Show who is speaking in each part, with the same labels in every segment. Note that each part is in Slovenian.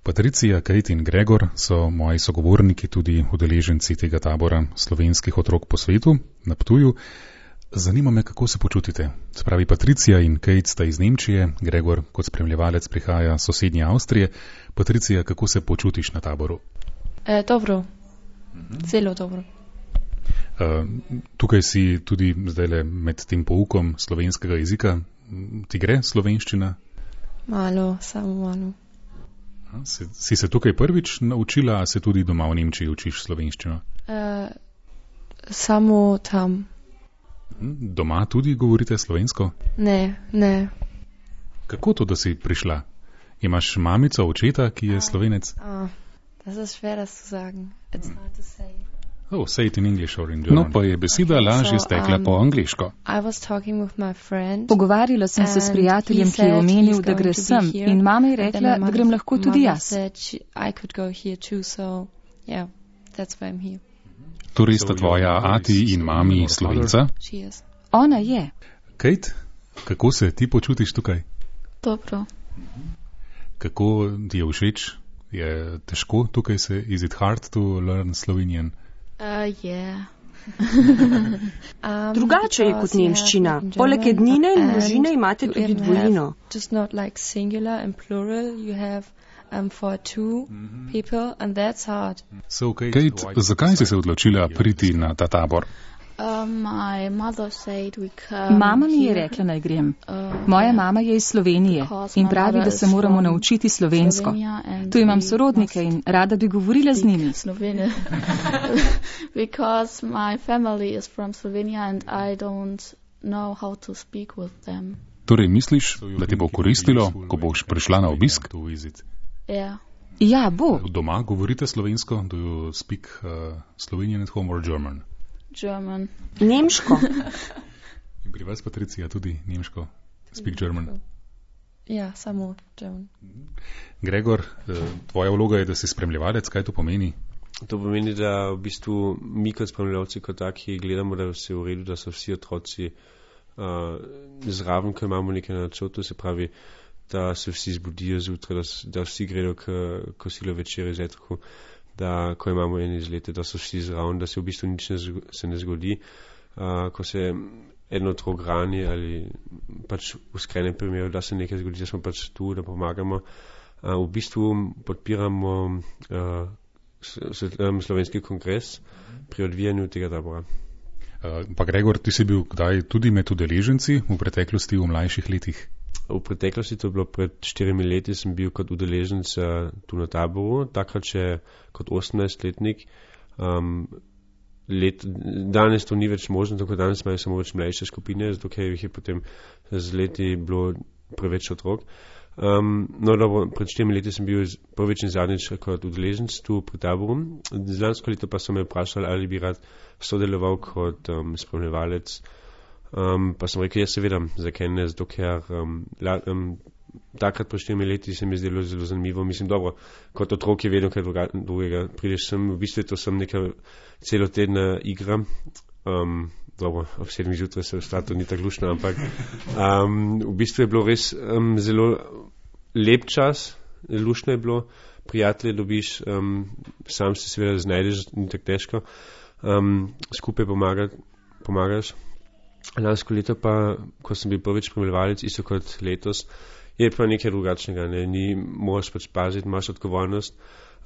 Speaker 1: Patricija, Kate in Gregor so moji sogovorniki, tudi udeleženci tega tabora slovenskih otrok po svetu na Ptuju. Zanima me, kako se počutite. Spravi, Patricija in Kate sta iz Nemčije, Gregor kot spremljevalec prihaja sosednje Avstrije. Patricija, kako se počutiš na taboru?
Speaker 2: Dobro, zelo dobro.
Speaker 1: Tukaj si tudi zdajle med tem poukom slovenskega jezika. Ti gre slovenščina?
Speaker 2: Malo, samo malo.
Speaker 1: Si se tukaj prvič naučila, a se tudi doma v Nemčiji učiš slovenščino?
Speaker 2: Samo tam.
Speaker 1: Doma tudi govorite slovensko?
Speaker 2: Ne.
Speaker 1: Kako to, da si prišla? Imaš mamico, očeta, ki je Slovenec?
Speaker 2: Das ist schwer, das zu sagen. It's hard to say.
Speaker 1: Oh, say it in English or in German.
Speaker 3: No, pa je beseda lažje stekla po angliško.
Speaker 2: I was talking with my friend.
Speaker 4: Pogovarjala sem se s prijateljem, ki je omenil, da gre sem, in mama je rekla, da grem lahko tudi jaz.
Speaker 2: I could go here too, so yeah, that's why I'm here.
Speaker 3: Torej sta tvoja ati in mami Slovenca?
Speaker 2: She is.
Speaker 4: Ona je.
Speaker 1: Kate, kako se ti počutiš tukaj?
Speaker 5: Dobro.
Speaker 1: Kako ti je všeč? Je težko tukaj se? Is it hard to learn Slovenian?
Speaker 5: Yeah.
Speaker 6: Drugače je kot nemščina. Poleg ednine in množine imate tudi dvojino.
Speaker 2: Just not like singular and plural, you have for two people and that's hard.
Speaker 1: So,
Speaker 3: Kate, zakaj si se odločila priti na ta tabor?
Speaker 5: My mother said we come.
Speaker 4: Mama mi je rekla, naj grem. Moja mama je iz Slovenije in pravi, da se moramo naučiti slovensko. Tu imam sorodnike in rada bi govorila z njimi.
Speaker 5: Because my family is from Slovenia and I don't know how to speak with them.
Speaker 3: Torej misliš, da ti bo koristilo, ko boš prišla na obisk?
Speaker 5: Yeah.
Speaker 4: Ja, bo.
Speaker 1: Doma govorite slovensko? Do you speak Slovenian at home or German?
Speaker 5: German.
Speaker 6: Nemško.
Speaker 1: In pri vas, Patricija, tudi nemško? Speak German?
Speaker 2: Ja, samo German.
Speaker 1: Gregor, tvoja vloga je, da si spremljevalec. Kaj to pomeni?
Speaker 7: To pomeni, da v bistvu mi kot spremljevalci kot taki gledamo, da je vse v redu, da so vsi otroci zraven, ko imamo nekaj na načrtu, se pravi, da se vsi zbudijo zjutraj, da vsi gredo k kosilu večerjo zjutraj, da ko imamo ene izlete, da so vsi zraven, da se v bistvu nič se ne zgodi. Ko se eno otrok rani ali pač v skrenem primeru, da se nekaj zgodi, da smo pač tu, da pomagamo. V bistvu podpiramo slovenski kongres pri odvijanju tega tabora.
Speaker 1: Pa Gregor, ti si bil kdaj tudi med udeleženci v preteklosti, v mlajših letih?
Speaker 7: V preteklosti, to je bilo pred 4 leti, sem bil kot udeleženc tu na taboru, takrat še kot 18-letnik. Danes to ni več možno, tako danes imajo samo več mlajše skupine, zato ker jih je potem z leti bilo preveč otrok. No, dobro, pred 4 leti sem bil prvič in zadnjič kot udeleženc tu pri taboru. Lansko leto pa so me vprašali, ali bi rad sodeloval kot spremljevalec. Pa sem rekel, seveda, zakaj ne, zato ker takrat po 4 leti se mi je zdelo zelo zanimivo. Mislim, dobro, kot otrok je vedno kaj drugega. Prideš sem, v bistvu to sem neka celotedna igra. Dobro, ob 7 zjutraj se vstati, to ni tako luštno, ampak v bistvu je bilo res zelo lep čas, luštno je bilo, prijatelje dobiš, sam se seveda znajdeš, ni tako težko, skupaj pomagaš. Lansko leto pa, ko sem bil prvič spremljevalec, isto kot letos, je pa nekaj drugačnega, ne? Moraš pač paziti, imaš odgovornost,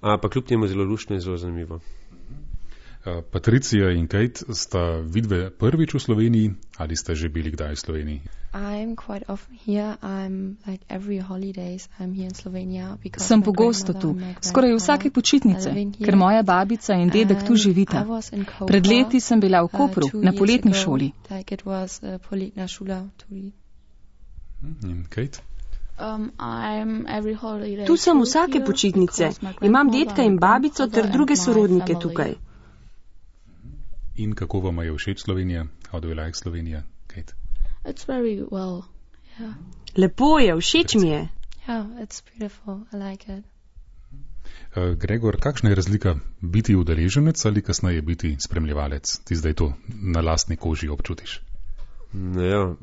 Speaker 7: pa kljub temu zelo luštno in zelo zanimivo.
Speaker 1: Patricija in Kate, sta vidve prvič v Sloveniji ali ste že bili kdaj v Sloveniji?
Speaker 2: I'm quite often here. I'm like every holidays I'm here in Slovenia because
Speaker 4: sem pogosto tu, skoraj vsake počitnice, ker moja babica in dedek tu živita. Pred leti sem bila v Kopru na poletni šoli.
Speaker 2: Like it was poletna šola tudi.
Speaker 1: In Kate?
Speaker 6: Tu sem vsake počitnice. Imam dedka in babico ter druge sorodnike tukaj.
Speaker 1: In kako vam je všeč Slovenija? How do you like Slovenija, Kate?
Speaker 5: It's very well, yeah.
Speaker 6: Lepo je, všeč mi je.
Speaker 2: Yeah, it's beautiful, I like it.
Speaker 1: Gregor, kakšna je razlika biti udeleženec ali kasneje biti spremljevalec? Ti zdaj to na lastni koži občutiš.
Speaker 7: Ja,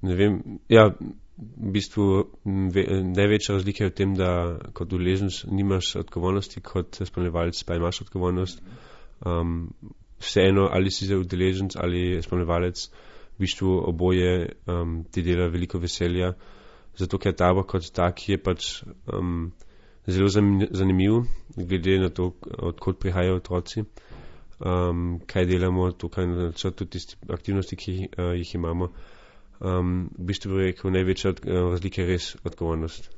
Speaker 7: ne vem. Ja, v bistvu največja razlika je v tem, da kot udeleženec nimaš odgovornosti, kot spremljevalec pa imaš odgovornost. Vseeno, ali si zdaj udeleženec ali spremljevalec, v bistvu oboje ti dela veliko veselja, zato ker tabor kot tak je pač zelo zanimiv, glede na to, odkot prihajajo otroci, kaj delamo tukaj na načrtu, tiste aktivnosti, ki jih imamo. V bistvu bi rekel, največja razlika je res odgovornost.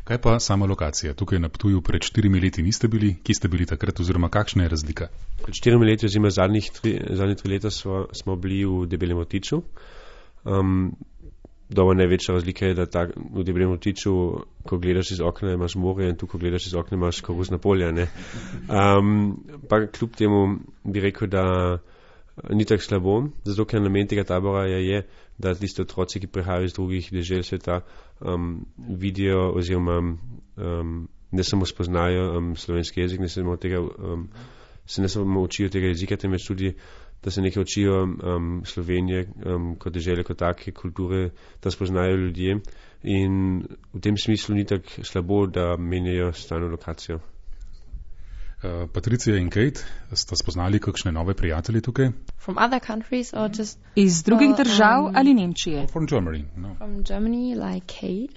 Speaker 1: Kaj pa sama lokacija? Tukaj na Ptuju pred 4 leti niste bili. Kje ste bili takrat oziroma kakšna je razlika?
Speaker 7: Pred 4 leti oziroma zadnje 3 leta smo bili v Debelem Rtiču. Največja razlika je, da v Debelem Rtiču, ko gledaš iz okna, imaš more in tu, ko gledaš iz okna, imaš koruzna polja. Pa kljub temu bi rekel, da ni tako slabo, zato ker namen tega tabora je, da tiste otroci, ki prihajajo iz drugih dežel sveta, vidijo oziroma ne samo spoznajo slovenski jezik, ne samo učijo tega jezika, temveč tudi, da se nekaj učijo Slovenije kot dežele, kot take kulture, da spoznajo ljudje. In v tem smislu ni tako slabo, da menjajo stalno lokacijo.
Speaker 1: Patricija in Kate, sta spoznali kakšne nove prijatelje tukaj?
Speaker 2: From other countries or just
Speaker 4: iz drugih držav ali Nemčije?
Speaker 1: From Germany, no.
Speaker 2: From Germany, like Kate.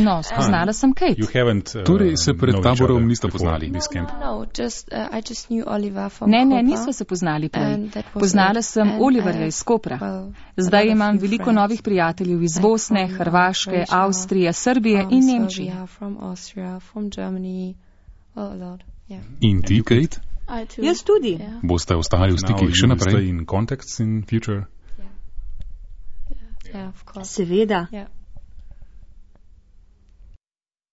Speaker 4: No, spoznala sem Kate.
Speaker 1: You haven't,
Speaker 3: torej se pred taborom niste poznali?
Speaker 2: No, I just knew Oliver from Koper.
Speaker 4: Ne, nismo se poznali prej. Poznala sem Oliverja iz Kopra. Zdaj imam veliko novih prijateljev iz Bosne, Hrvaške, Avstrije, Srbije in Nemčije.
Speaker 2: From Austria, from Germany, a lot. Yeah.
Speaker 3: In ti, Kate?
Speaker 6: Jaz tudi.
Speaker 5: Yeah.
Speaker 3: Boste ostali v stikih še naprej?
Speaker 1: In contacts in future?
Speaker 2: Yeah, of course.
Speaker 6: Seveda.
Speaker 2: Yeah.